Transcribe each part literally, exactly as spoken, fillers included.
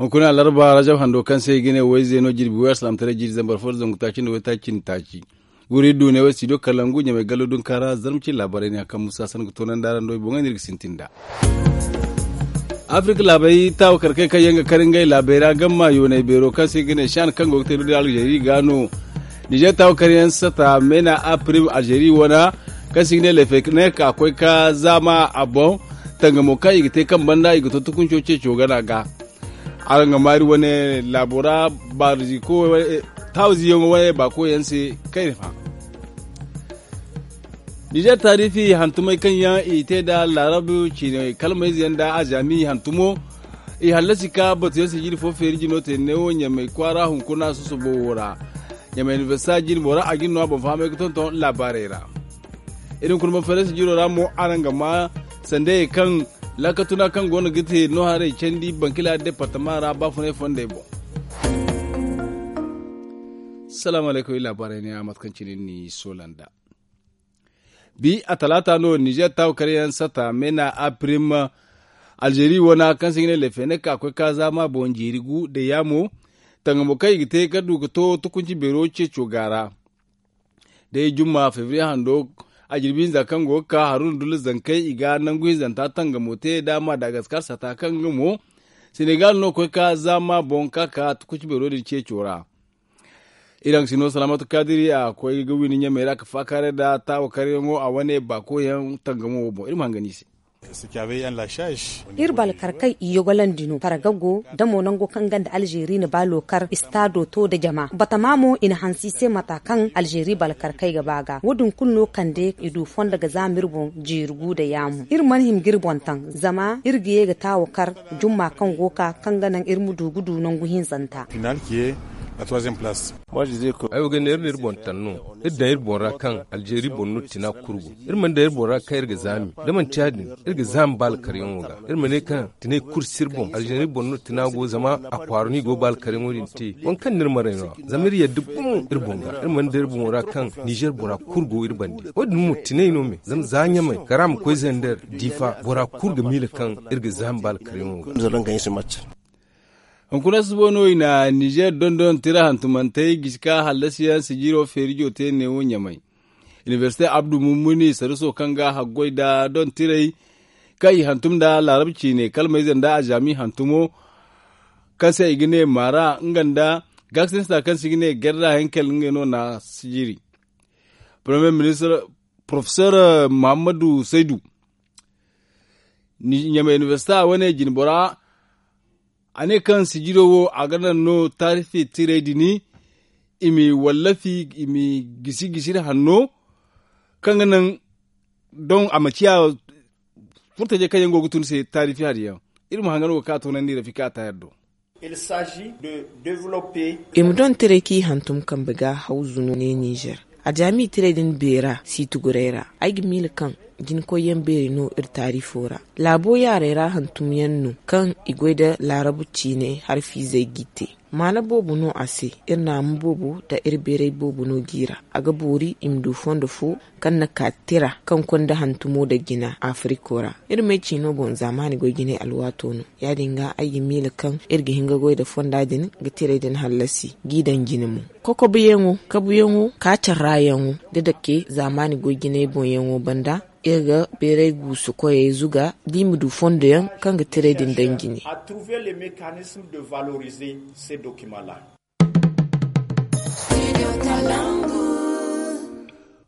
Hunkuna alarba rajab hando kaŋ se i ga ne wayze no jirbi way alsilaamataray jiiri zambar fo da zangu taaci nda waytaaci nda taaci. Guri du ne way studio kalangu ɲamay gallo dunkaara zarma cine laabaray ne a kaŋ musa san ga toonandi araŋ do i boŋey no iri ga sintin nd'a. Afirka laabey taawa karkey kaŋ yaŋ ga kar ngey laabey ra gamma yoonay beero kaŋ se i ga ne shan kaŋ go ga te da alzeeri ga no. Nizer taawa karyaŋ sata meena a pirim alzeeri wana kaŋ se i ga ne lefe ne ka koy ka zaama a boŋ. Tangamo kaŋ i ga te kaŋ banda i ga to tukunco ceeco gana ga. Araŋ ga maari wane laabo ra baarzi ko taawa ziyaŋo wane baako yaŋ se kayna fa. Nizer taarifi hantumey kaŋ yaŋ i te nda laarabu ciine kalmayze yaŋ nda azaami hantumo. I hallasi ka batuyaŋ sijiri fo feeri jino te neewo ɲamay kwaara hunkuna susubo wo ra. Ɲamay inibersita jine bora a jine no a boŋ fahamay ga tonton laabaarey ra. Iri hunkuna boŋ feerasi jiro ra mo araŋ ga ma sandayey kaŋ laakatuna kaŋ go no ga te no haray candi bankila departama ra baafunay fondey boŋ. Salaamu alaykum iri laabaarey ne a mate kaŋ cine ni soola nd'a. Bi a talaata no nizer taawa karyaŋ sata meena a pirim alzeeri wana kaŋ se i ga ne lefenek a koy ka zaama boŋ jeeri gu da yaamo. Tangamo kaŋ i ga te ka du ka to tukunci beero ceeco ga ra. Day jumma febriye hando a jirbi hinza kaŋ go ga ka haruna dullu zankey i ga nangu hinzanta tangamo te da madagaskar sata kaŋ nga mo senegal no koy ka zaama boŋ ka ka tukunci beero din ceeco ra. Iri haŋ ga si no salaamatu kaadiri a koy ga windi ɲamey ra ka faakaaray nda taawa karyaŋo a wane baakoyaŋ tangamo wo boŋ iri ma hangan i se. Iri balkarkay i yogolandi no farga go da mo nango kaŋ ganda alzeeri na ba lookar istaado to nda jama batama mo i na hanse i se mata kaŋ alzeeri balkarkay ga ba ga wo- din kulu no kande i du fondo ga zaama iri boŋ jeeri gu nda yaamu iri mana hima ga iri boŋ taŋ zama iri ga ye ga taawa kar jumma kaŋ go ga ka kaŋ ga naŋ iri ma du ga du nangu hinzanta. Ay wo ga ne iri na iri boŋ taŋ no. Iri daŋ iri boŋ ra kaŋ alzeeri boŋ no tina kulu go. Iri mana daŋ iri boŋ ra kaŋ iri ga zaami da manti ya- din iri ga zaami baala karyaŋo ga. Iri ma ne kaŋ tinay kulu si iri boŋ alzeeri boŋ no tina go zama a kwaara no i go baala karyaŋo din te waŋ kaŋ no iri maray no- ya zama iri yadda gumo iri boŋ ga. Iri mana daŋ iri boŋo ra kaŋ nizer bora kulu go iri bande wo- din mo tinay no me zama za ɲamay kara ma koy zander diifa bora kulu ga miila kaŋ iri ga zaami baala karyaŋo ga. Hunkuna subo no i na nizer dondon tira hantumantey gisi ka hallasiyaŋ sijiro feerijo te neewo ɲamay. Inibersite abdu mummuni saruso kaŋ ga haggoy nda don tirey kaŋ i hantum nda laarab ciine kalmayze nda azaami hantumo kaŋ se i ga ne maara nga nda gaakasinista kaŋ se i ga ne gerra henkel ngey no na sijiri. Porofesor muhammadu saydu ɲamay inibersita wane jinbora a ne kaŋ sijiro wo a ga naŋ no taarifi tirey din i ma i wallafi i ma i gisi gisiri hanno kaŋ ga naŋ don a ma ciya furtajey kaŋ yaŋ go ga tun se taarifi hari yaŋ. Iri ma hangan wo ga ka toonandi rafika a taayar do. I ma don tiray kaŋ i hantum kambe ga hawzu no ne nizer. Ajaami tiray din beera si tuguray ra ay ga miila kaŋ jinkoyyaŋ beeri no iri taarifo ra. Laabo yaaray ra hantumyaŋ no kaŋ i goy nda laarabu ciine harfiizey g'i te. Maana boobo no a se. Iri naamu boobo nda iri beeray boobo no g'i ra. A ga boori i ma du fondo fo kaŋ na ka tira kaŋ konda hantumo nda jina afiriko ra. Iri may ciino boŋ zaamaani goy jinay alwaato no. Ya- din ga ay ga miila kaŋ iri ga hin ga goy nda fonda din ga tiray din hallasi g'i daŋ jine mo. Kokobuyaŋo kabuyaŋo kaacarrayaŋo da dake zaamaani goy jinay boŋyaŋo banda iri ga beeray guusu koyey zuga da i ma du fondoyaŋ kaŋ ga tiray din daŋ jine.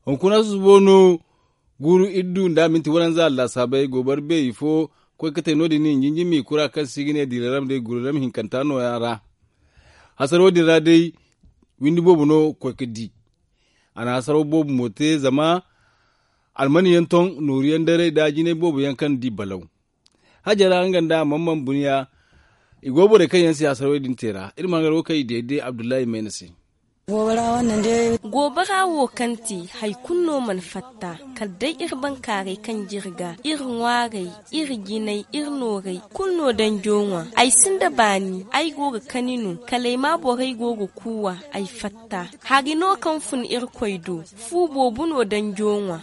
Hunkuna susubo no guuru iddu nda minti waranza allasaabey gobar beeri fo koy ga te no- din i jinjimi kura kaŋ se i ga ne diiraram day guuraram hinkanta nooya ra. Hasaro din ra day windi boobo no koy ga di. A na hasaro boobo mo te zama almaniyaŋ ton nooruyaŋ daray nda jinay boobo yaŋ kaŋ di balaw. Hajara nga nda a mana mana buniya. I go borey kaŋ yaŋ si hasarwey din te ra iri ma hangar wo kaŋ i deede abdullahi mayna se. Goobara wo kaŋ te hari kulu no mana fatta, kala day iri bankaaray kaŋ jirga iri ŋwaarey, iri jinay, iri noorey kulu no danjo ŋwa. Ay sinda baani, ay go ga kani no kala ay ma borey go ga kuuwa. Ay fatta hari no kaŋ fun irkoy do. Fu boobo no danjo ŋwa.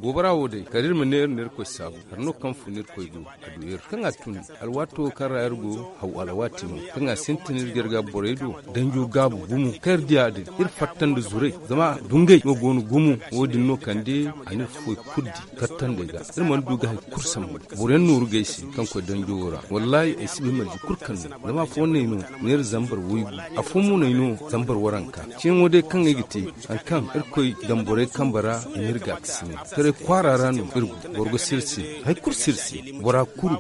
Goobara wo day kala iri ma neera neera koy saabu. Hari no kaŋ fun irkoy do. A du iri kaŋ a tun alwaato kaŋ ra iri go haw alwaati no kaŋ a sintin iri ga iri ga borey do. Danjo gaabu gumo kaŋ iri diya din iri fatta nda zuray zama dungay no go no gumo. Wo- din no kande a na iri foy kulu di kattandey ga. Iri mana du ga hari kulu sambu boro yaŋ nooru gay se kaŋ koy danjo wo ra. Wallaahi ay si bay marje kulu kaŋ no zama afooyaŋ no ay no neera zambar waygu. Afooyaŋ mo no ay no zambar waranka. Ceeyaŋo day kaŋ ay ga te hari kaŋ iri koy daŋ borey kambe ra i na iri gaakasina taray kwaara ra no iri go. Boro ga sirsi hari kulu sirsi bora kulu.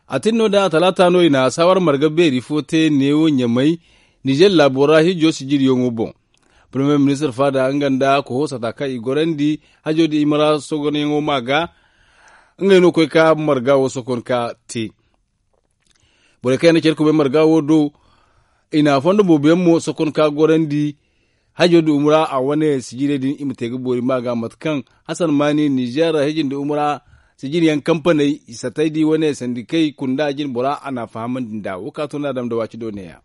A tin no da talaata no i na saawar marga beeri fo te neewo ɲamay nizer laabo ra hijo sijiriyaŋo boŋ. Premier ministre faada nga nda koho sata kaŋ i gorandi hajo da i mara sogonyaŋo ma ga ngey no koy ka marga wo sokon ka te. Borey kaŋ yaŋ na care kubay marga wo do i na fondo boobo yaŋ mo sokon ka gorandi. Hajo da umra a wane sijirey din i ma te ga boori ma ga mate kaŋ hasan maani nizer hijin da umra sijiri yaŋ kampaney i satay di wane sandikey kunda jin bora a na fahamandi nda wo ka tun da dam da waati do neeya.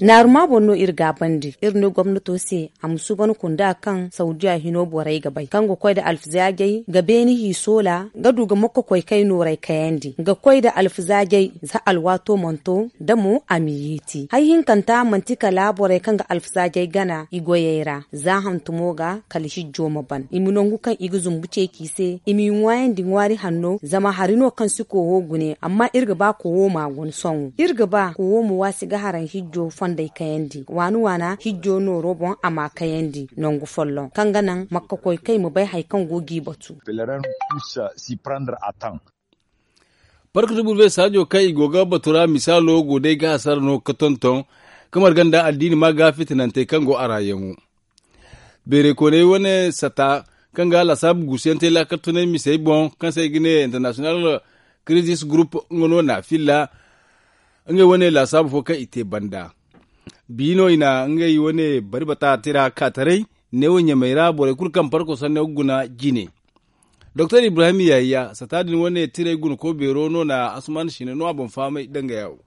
Naaruma boŋ no iri gaabandi iri ne gomnato se a ma suuban kunda kaŋ saudiya hino borey ga bay kaŋ ga koy nda alfizaajey ga beeni hiiso ra ga du ga mokko koy kay nooray kayandi ga koy nda alfizaajey za alwaato mana to da mo a ma yeeti hari hinkanta manti kala borey kaŋ ga alfizaajey gana i goyey ra za hantumo ga kala hijjo ma ban i ma nangu kaŋ i ga zumbu ceeci se i m'i ŋwaayandi ŋwaari hanno zama hari no kaŋ si koowo gune amma iri ga ba koowo m'a guna sohõ iri ga ba koowo ma waasi ga haraŋ hijjo fondey kayandi waana waana hijjo nooro boŋ a m'a kayandi nangu folloŋ kaŋ ga naŋ makka koy kay ma bay hari kaŋ go g'i batu. Park de burbe saajo kaŋ i go ga batu ra misaalo go day ga hasara no ga tonton ka marga nda addiini ma ga fitinantey kaŋ go a ra yaŋo. Beerey kooney wane sata kaŋ ga laasaabu guusu yaŋ te laakal tunay misey boŋ kaŋ se i ga ne international crisis group nga no na filla ngey wane laasaabu fo kaŋ i te banda. Bi no i na ngey wane bari bata tira ka taray neewo ɲamey ra borey kulu kaŋ parko sanne ga guna jine. Doktor ibrahim yahaya sata din wane tiray guna ko beero no na asuman sine no a boŋ fahamay danga yawo.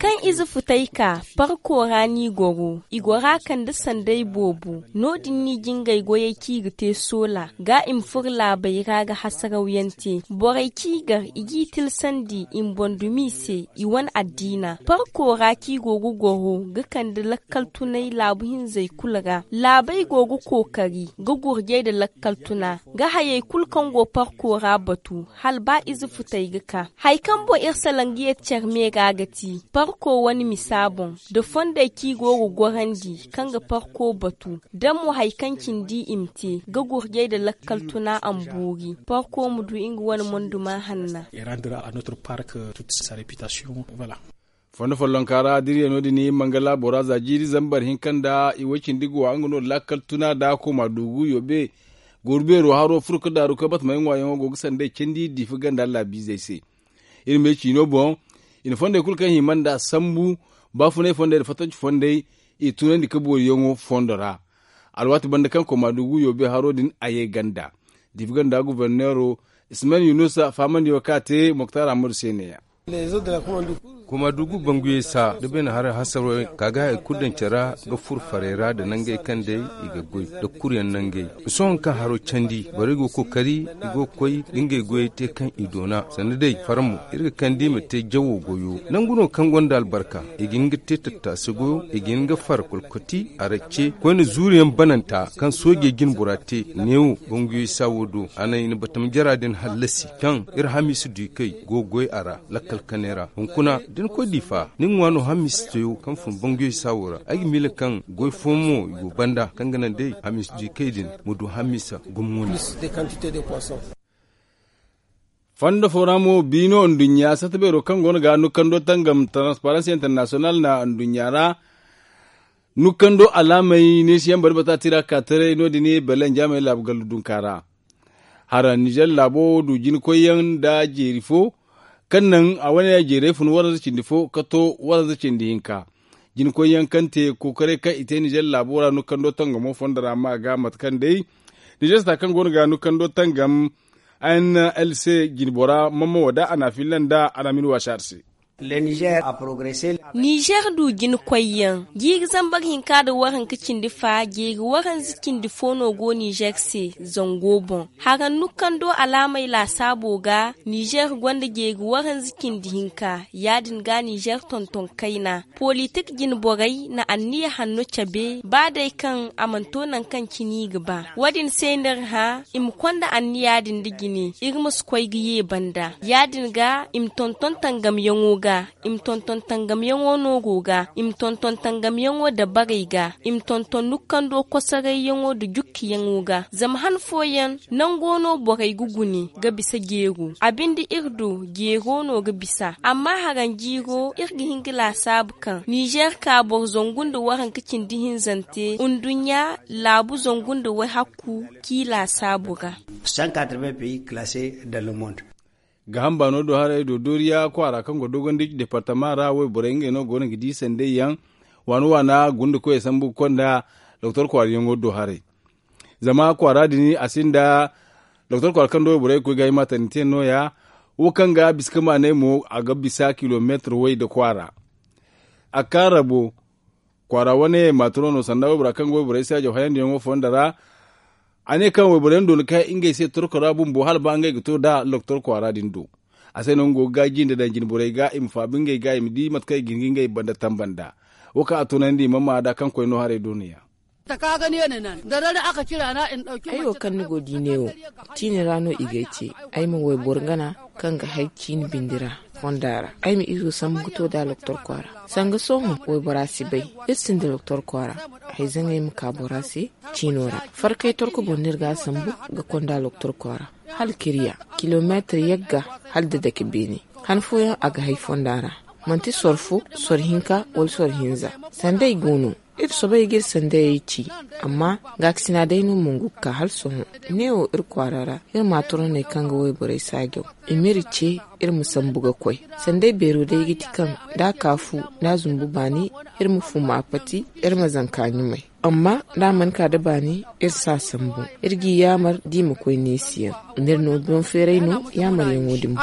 Kaŋ ize futay ka parko ra no i goro i gora kande sanday boobo no- din no i jingay goyey kaŋ i ga te soola ga i ma furo laabey ra ga hasaraw yaŋ te borey kaŋ i gar i g'i tilsandi i ma boŋ dumi i se i wane addiina parko ra kaŋ i go ga goro ga kande lakkal tunay laabu hinzey kulu ra laabey go ga kookari ga gurjay nda lakkal tuna ga hayey kulu kaŋ go parko ra batu hala ba ize futey ga ka hari kaŋ boŋ iri salaŋ ga yeeti care me ga ga ti parko wane misa boŋ nda fondey kaŋ i go ga gorandi kaŋ ga parko batu da mo hari kaŋ cindi i ma te ga gurjay nda lakkal tuna a ma boori parko ma du nga wane monduma hanna. Fondo follonka ra da iri ye no- din mangala bora za jiiri zambar hinka nda i way cindi ga wa nga no lakkal tuna da koma dugu yobe. Gooru beero haro furo ka daaru ka batmey ŋwaayaŋo go ga sanday candi diifa ganda laabiizey se. Iri me ciino boŋ i na fondey kulu kaŋ hima nda sambu baafunay fondey nda fatanci fondey i tunandi ka booriyaŋo fondo ra. Alwaati banda kaŋ koma dugu yobe haro din a ye ganda diifa ganda guberneero ismail yunusa fahamandiyaŋo kaŋ a te moktar ahmadu se neeya. Koma dugu banguyey sa da beene haray hasarey ka ga hari kulu daŋ care ra ga furo farey ra nda nangey kaŋ day i ga goy nda kuruyaŋ nangey. Sohõ kaŋ haro candi borey go ga kookari i go ga koy ga ngey goyey te kaŋ i doona sanda day fara mo iri ga kande i ma te jawo goyo nangu no kaŋ gonda albarka. I ga hin ga te tattaasi goyo i ga hin ga far kolkoti aracce koyne zuuriyaŋ bananta kaŋ soojey jine bora te neewo banguyey sa wo do a naŋ i na batama jara din hallasi kaŋ iri hamiisa du i kay go ga goy a ra. Lakkal kanay ra hunkuna da ni koy diifa ni ŋwa no hamiisa teyo kaŋ fun banguyey sa wo ra ay ga miila kaŋ goy fooyaŋ mo i go banda kaŋ ga naŋ day hamiisa du i kay din ma du hamiisa gummo no. Fondo fo ra mo biino nduɲɲa sata beero kaŋ go no ga nukando tangam transparency international na nduɲɲa ra. Nukando alaamey neesiyaŋ bari bata tira ka taray no- din belle njaamey laabu gallu dunka ra. Hara nizer laabo du jinkoyyaŋ nda jeeri fo kaŋ naŋ a wane jeeray fun waranza cindi fo ka to waranza cindi hinka. Jinakoy yaŋ kaŋ te kookaray kaŋ i te nizer laabo ra no kando tangamo fondo ra ma ga mate kaŋ day nizer sata kaŋ go no ga no kando tangam. N l c jinbora mamma wada a na a filla nda a na a ma ni waasi a se. Nizer du jinakoy yaŋ jiiri zambar hinka nda waranka cindi fa jeeri waranza cindi fo no go nizer se zango boŋ. Haraŋ nukando alaamey laasaabo ga nizer gonda jeeri waranza cindi hinka. Ya- din ga nizer tonton kayna politik jine borey na anniya hanno cabe ba day kaŋ a mana to nangu kaŋ cine i ga ba. Wo- din se no iri hã i ma konda anniya din nda jine iri ma si koy ga ye banda. Ya- din ga i ma tonton tangamyaŋo ga i ma tonton tangamyaŋo noogo ga i ma tonton tangamyaŋo dabarey ga i ma tonton nukkando kosarayyaŋo nda jukkiyaŋo ga. Zama han fooyaŋ nango no borey ga gune ga bisa jeero a binde iri du jeero no ga bisa. Amma haraŋ jiiro iri ga hin ga laasaabu kaŋ nizer ka boro zangu nda waranka cindi hinzante nduɲɲa laabu zangu nda wayhakku k'i laasaabu ra. Gaaham baano do haray doodoriya kwaara kaŋ go dogondic departama ra wayborey ngey no go no ga di sanday yaŋ waana waana gunda koyey sambu ga konda doktor kwaarayaŋo do haray. Zama kwaara din a sinda doktor kwaara kaŋ da wayborey ga koy ga ay maatarinteyaŋ no- ya wo kaŋ ga bisa ga maanay mo a ga bisa kilomeetir way nda kwaara. A kaarabo kwaara wane maatiro no sanda waybora kaŋ ga wayborey saajaw hayandiyaŋo fondo ra. A ne kaŋ wayborey yaŋ doona ka ngey se torko ra bumbo hala ba ngey ga to nda doktor kwaara din do. A se no nga go ga gaaji nda daŋ jinborey ga i ma faabu ngey ga i ma di mate kaŋ i ga hin ga ngey banda tamba nd'a. Wo kaŋ a toonandi i ma maa nd'a kaŋ koy no haray do no- ya. Ay wo kaŋ ni go di neewo ciine ra no i g'ay ce. Ay ma wayboro gana kaŋ ga hay ciine bindi ra fonda ra. Ay ma izo sambu ga to da doktor kwaara sanga sohõ waybora si bay. Iri sinda doktor kwaara hayzaŋey ma ka bora se ciino ra. Farkay torko boŋ no iri ga a sambu ga konda doktor kwaara hala kiriya kilomeetir yagga hala da dake beene. Han fooyaŋ a ga hay fonda ra manti soro fo soro hinka wala soro hinza. Sanday go no iri soobay ga iri sandayey ci. Amma gaakasina day no mongu ga ka hala sohõ neewo iri kwaara ra iri ma a toroney kaŋ ga wayborey saajaw i m'iri ce iri ma sambu ga koy. Sanday beero day ga ti kaŋ da a ka fu da a zumbu baani iri ma fuma a pati iri ma zanka ɲumay. Amma da a mana ka nda baani iri si a sambu iri g'i yaamar da i ma koy neesi yaŋ. Nda iri no boŋ feeray no yaamaryaŋo din boŋ.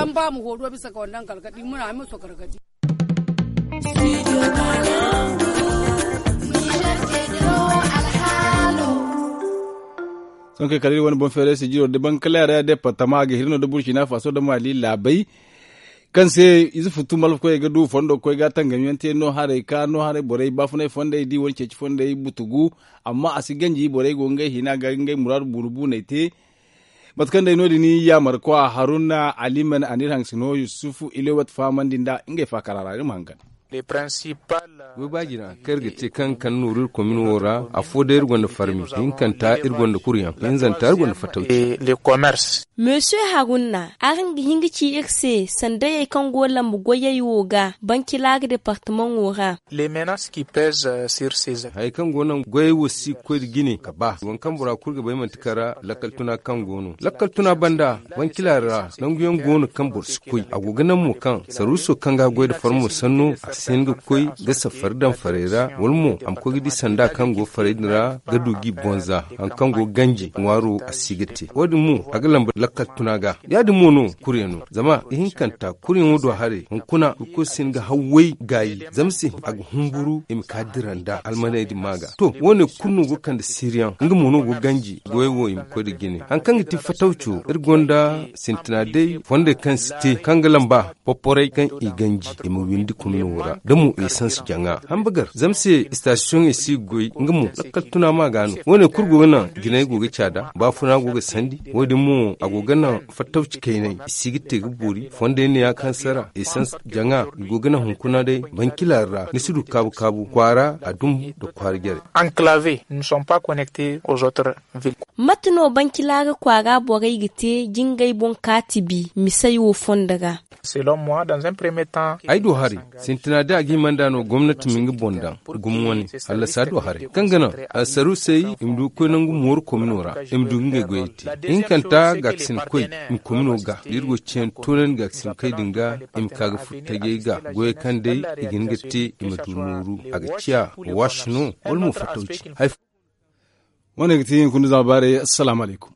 Sohõ kay kala iri wane boŋ feeray sijiro da bankalaara departama a ga hiri no da burcina faaso da maali laabay. Kaŋ se ize futtu malfa koyey ga du fondo ga koy ga tangamyaŋ te no haray ka no haray borey baafunay fondey da i wane ceeci fondey butugu. Amma a si ganji borey go ngey hina ga ngey muraadu buunu buuney te. Mate kaŋ day no- din yaamar kwa haruna aliman a n'iri haŋ sino yusufu ilewat fahamandi nda ngey faakara ra iri ma hangan. Goy ba jina kaŋ iri ga te kaŋ kande nooru iri komin wo ra afo day iri gonda farmi hinkanta iri gonda kuryaŋ hinzanta iri gonda fatawci. Monsieur haruna araŋ ga hin ga ci iri se sandayey kaŋ go lambu goyey wo ga bancilaari departamaŋo ra. Hayey kaŋ go naŋ goyey wo si ga koy nda jine ga ba waŋ kaŋ bora kulu ga bay manti kaŋ ra lakkal tuna kaŋ go no lakkal tuna banda wancila ra nangu yaŋ go no kaŋ boro si koy a go ga naŋ mo kaŋ sarwiso kaŋ ga a goy nda farmo sanno a si hin ga koy ga safari daŋ farey ra wala mo a ma koy ga di sanda kaŋ go farey din ra ga du g'i bonza hari kaŋ go ga ganji ŋwaaro a si ga te wo- din mo a ga lamba lakkal tuna ga. Ya- din mo no kuryaŋo zama ihinkanta kuryaŋo do haray hunkuna irkoy si hin ga hawway gaayi zama se a ga humburu i ma ka dira nda almaney din ma ga to wo- ne kulu no go ga kande siiriyaŋ nga mo no go ga ganji goyey wo i ma koy nda jine hari kaŋ ga ti fatawco iri gonda sintina day fondey kaŋ si te kaŋ ga lamba poporay kaŋ i ganji i ma windi kumno ra da mo esans jaŋa hambagar zama se istasiyoŋey si ga goy nga mo lakkal tuna ma ga no wo- ne kulu go ga naŋ jinay go ga caada baafuna go ga sandi wo- din mo a go ga naŋ fattawci kaynay i si ga te ga boori fondey ne ya kaŋ sara esans jaŋa i go ga naŋ hunkuna day bancilaari ra ni si du kaabu kaabu kwaara a dumbu nda kwaara jare. Enclavés ne sont pas connectés aux autres villes. Mate no bancilaari kwaara borey ga te jingay boŋ kaati bi misey wo fondo ra? Selon moi dans un premier temps ay du haray sintina day a ga hima nd'a no gomna. Ti ma nga boŋ daŋ gumo wane. Hallasa do haray kaŋ ga naŋ, saruusey i ma du ga koy nangu mooru komino ra. I ma du ga ngey goyey te. Ihinkanta gaakasinkoy i ma komino ga da iri go ga ciyandi toonandi gaakasinkoy din ga. I ma ka ga furo tajey ga goyey kaŋ day i ga hin ga te. I ma du nooru a ga ciya waasi no wala mo fattawci. Wane ga ti hunkuna zama baaray. Assalaamu alaykum.